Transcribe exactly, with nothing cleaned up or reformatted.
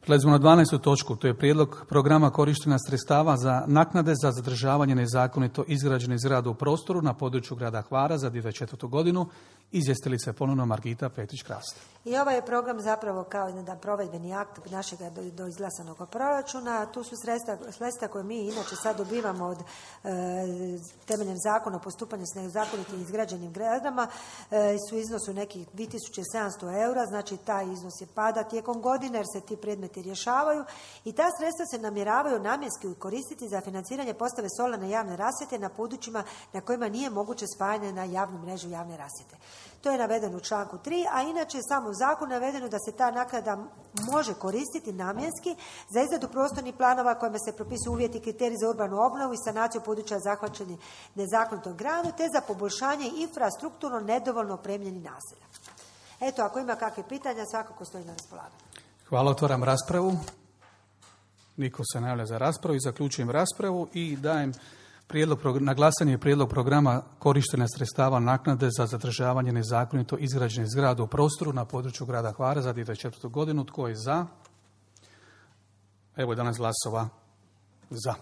Prelazimo na dvanaestu točku, to je prijedlog programa korištenja sredstava za naknade za zadržavanje nezakonito izgrađenih zgrada u prostoru na području grada Hvara za dvije tisuće dvadeset četvrtu godinu. Izvjestiteljica je ponovno Margita Petrić-Krast. I ovaj je program zapravo kao jedan provedbeni akt našeg do, do izglasanog proračuna. Tu su sredstva, sredstva koje mi inače sad dobivamo od e, temeljem zakona o postupanju s nezakonitim izgrađenim zgradama e, su iznosu nekih dvije tisuće sedamsto eura, znači taj iznos je pada tijekom godine jer se ti predmeti rješavaju i ta sredstva se namjeravaju namjenski koristiti za financiranje postave solarne javne rasvjete na područjima na kojima nije moguće spajanje na javnu mrežu javne rasvjete. To je navedeno u članku tri, a inače je samo u zakonu navedeno da se ta naknada može koristiti namjenski za izradu prostornih planova kojima se propisuju uvjeti i kriteriji za urbanu obnovu i sanaciju područja zahvaćenih nezakonitom gradnjom te za poboljšanje infrastrukturno nedovoljno opremljenih naselja. Eto, ako ima kakve pitanja, svakako stoji na raspolaganju. Hvala, otvaram raspravu. Niko se ne javlja za raspravu i zaključujem raspravu i dajem prijedlog, na glasanje prijedlog programa korištenja sredstava naknade za zadržavanje nezakonito izgrađenih zgrada u prostoru na području grada Hvara za dvije tisuće dvadeset četvrtu godinu. Tko je za? Evo je danas glasova za.